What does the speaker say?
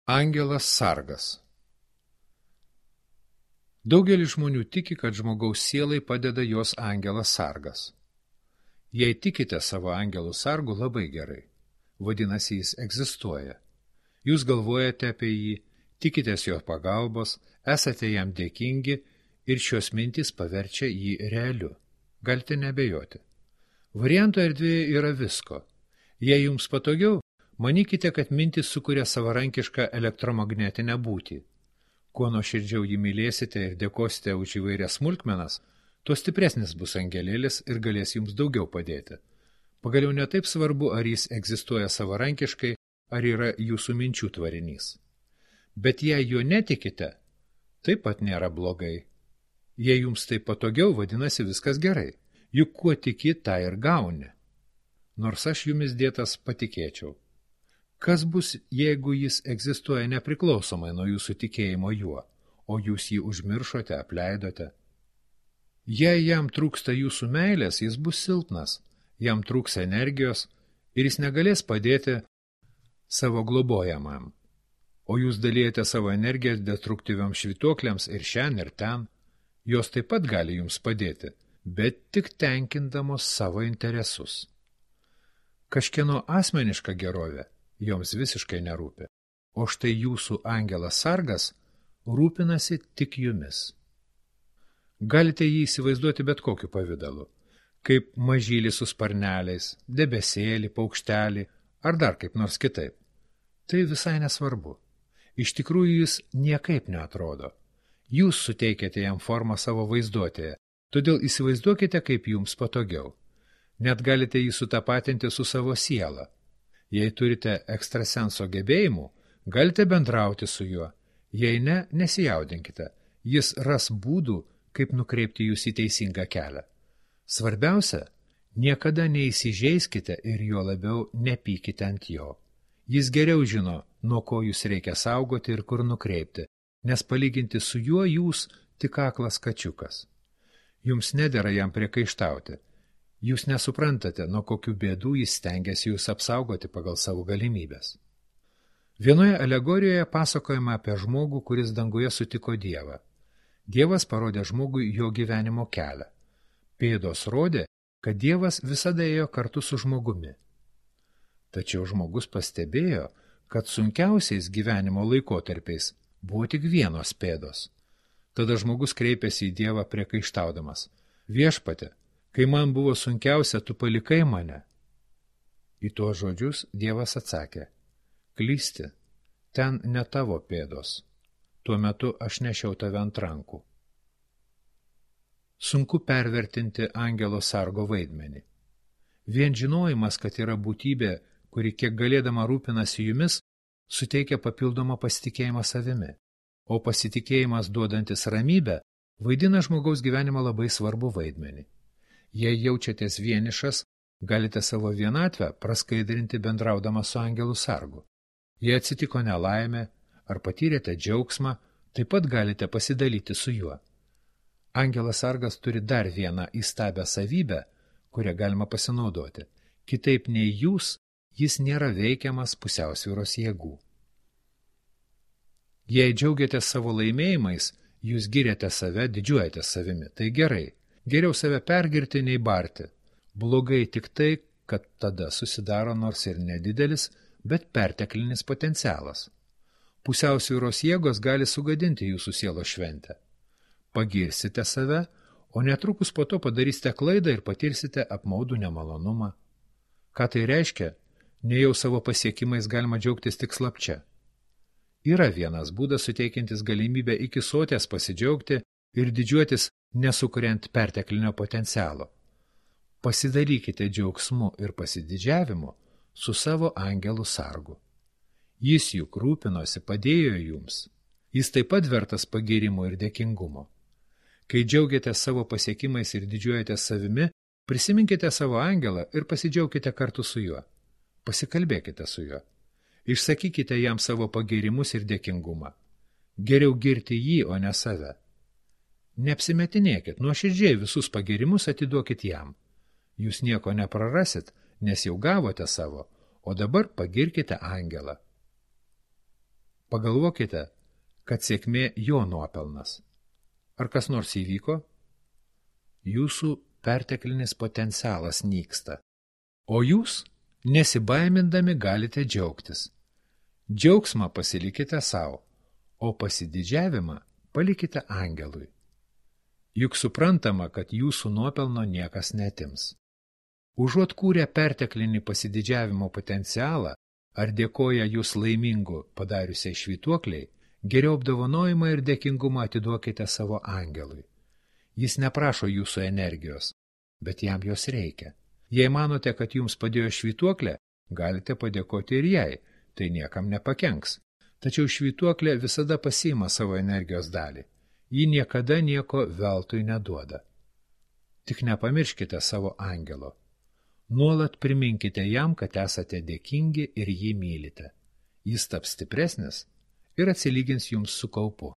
Angelas sargas. Daugelis žmonių tiki, kad žmogaus sielai padeda jos angelas sargas. Jei tikite savo angelų sargu, labai gerai. Vadinasi, jis egzistuoja. Jūs galvojate apie jį, tikitės jo pagalbos, esate jam dėkingi ir šios mintys paverčia jį realiu. Galite nebejoti. Varianto erdvėje yra visko. Jei jums patogiau, manykite, kad mintis sukuria savarankišką elektromagnetinę būtį. Kuo nuoširdžiau jį mylėsite ir dėkosite už įvairias smulkmenas, tuo stipresnis bus angelėlis ir galės jums daugiau padėti. Pagaliau netaip svarbu, ar jis egzistuoja savarankiškai, ar yra jūsų minčių tvarinys. Bet jei jo netikite, taip pat nėra blogai. Jei jums tai patogiau, vadinasi viskas gerai. Juk kuo tiki, tą ir gauni. Nors aš jumis dėtas patikėčiau. Kas bus, jeigu jis egzistuoja nepriklausomai nuo jūsų tikėjimo juo, o jūs jį užmiršote, apleidote? Jei jam trūksta jūsų meilės, jis bus silpnas, jam trūks energijos ir jis negalės padėti savo globojamam. O jūs dalijate savo energiją destruktyviams švytuokliams ir šen ir ten. Jos taip pat gali jums padėti, bet tik tenkindamos savo interesus. Kažkieno asmeniška gerovė joms visiškai nerūpi, o štai jūsų angelas sargas rūpinasi tik jumis. Galite jį įsivaizduoti bet kokiu pavidalu, kaip mažylį su sparneliais, debesėlį, paukštelį ar dar kaip nors kitaip. Tai visai nesvarbu. Iš tikrųjų jis niekaip neatrodo. Jūs suteikėte jam formą savo vaizduotėje, todėl įsivaizduokite, kaip jums patogiau. Net galite jį sutapatinti su savo siela. Jei turite ekstrasenso gebėjimų, galite bendrauti su juo. Jei ne, nesijaudinkite. Jis ras būdų, kaip nukreipti jūs į teisingą kelią. Svarbiausia, niekada neįsižeiskite ir juo labiau nepykite ant jo. Jis geriau žino, nuo ko jūs reikia saugoti ir kur nukreipti, nes palyginti su juo jūs tik aklas kačiukas. Jums nedera jam priekaištauti. Jūs nesuprantate, nuo kokių bėdų jis stengiasi jūs apsaugoti pagal savo galimybės. Vienoje alegorijoje pasakojama apie žmogų, kuris danguje sutiko Dievą. Dievas parodė žmogui jo gyvenimo kelią. Pėdos rodė, kad Dievas visada ėjo kartu su žmogumi. Tačiau žmogus pastebėjo, kad sunkiausiais gyvenimo laikotarpiais buvo tik vienos pėdos. Tada žmogus kreipėsi į Dievą priekaištaudamas: Viešpatie, kai man buvo sunkiausia, tu palikai mane. Į tuos žodžius Dievas atsakė: Klysti, ten ne tavo pėdos. Tuo metu aš nešiau tave ant rankų. Sunku pervertinti angelo sargo vaidmenį. Vien žinojimas, kad yra būtybė, kuri kiek galėdama rūpinasi jumis, suteikia papildomą pasitikėjimą savimi, o pasitikėjimas duodantis ramybę vaidina žmogaus gyvenimą labai svarbu vaidmenį. Jei jaučiatės vienišas, galite savo vienatvę praskaidrinti bendraudama su angelu sargu. Jei atsitiko nelaimė ar patyrėte džiaugsmą, taip pat galite pasidalyti su juo. Angelas sargas turi dar vieną įstabią savybę, kurią galima pasinaudoti. Kitaip nei jūs, jis nėra veikiamas pusiausvyros jėgų. Jei džiaugiatės savo laimėjimais, jūs giriate save, didžiuojatės savimi. Tai gerai. Geriau save pergirti nei barti. Blogai tik tai, kad tada susidaro nors ir nedidelis, bet perteklinis potencialas. Pusiausvyros jėgos gali sugadinti jūsų sielos šventę. Pagirsite save, o netrukus po to padarysite klaidą ir patirsite apmaudų nemalonumą. Ką tai reiškia? Nejau savo pasiekimais galima džiaugtis tik slapčia. Yra vienas būdas suteikiantis galimybę iki soties pasidžiaugti ir didžiuotis nesukuriant perteklinio potencialo. Pasidalykite džiaugsmu ir pasididžiavimu su savo angelu sargu. Jis juk rūpinosi, padėjo jums. Jis taip pat vertas pagyrimo ir dėkingumo. Kai džiaugiatės savo pasiekimais ir didžiuojatės savimi, prisiminkite savo angelą ir pasidžiaukite kartu su juo. Pasikalbėkite su juo. Išsakykite jam savo pagyrimus ir dėkingumą. Geriau girti jį, o ne save. Neapsimetinėkit, nuoširdžiai visus pagyrimus atiduokit jam. Jūs nieko neprarasit, nes jau gavote savo, o dabar pagirkite angelą. Pagalvokite, kad sėkmė jo nuopelnas. Ar kas nors įvyko? Jūsų perteklinis potencialas nyksta, o jūs, nesibaimindami, galite džiaugtis. Džiaugsmą pasilikite savo, o pasididžiavimą palikite angelui. Juk suprantama, kad jūsų nuopelno niekas netims. Užuot kūrę perteklinį pasididžiavimo potencialą ar dėkoja jūs laimingu padariusiai švytuokliai, geriau apdovanojimą ir dėkingumą atiduokite savo angelui. Jis neprašo jūsų energijos, bet jam jos reikia. Jei manote, kad jums padėjo švytuoklė, galite padėkoti ir jai, tai niekam nepakenks. Tačiau švytuoklė visada pasiima savo energijos dalį. Ji niekada nieko veltui neduoda. Tik nepamirškite savo angelo. Nuolat priminkite jam, kad esate dėkingi ir jį mylite. Jis taps stipresnis ir atsilygins jums su kaupu.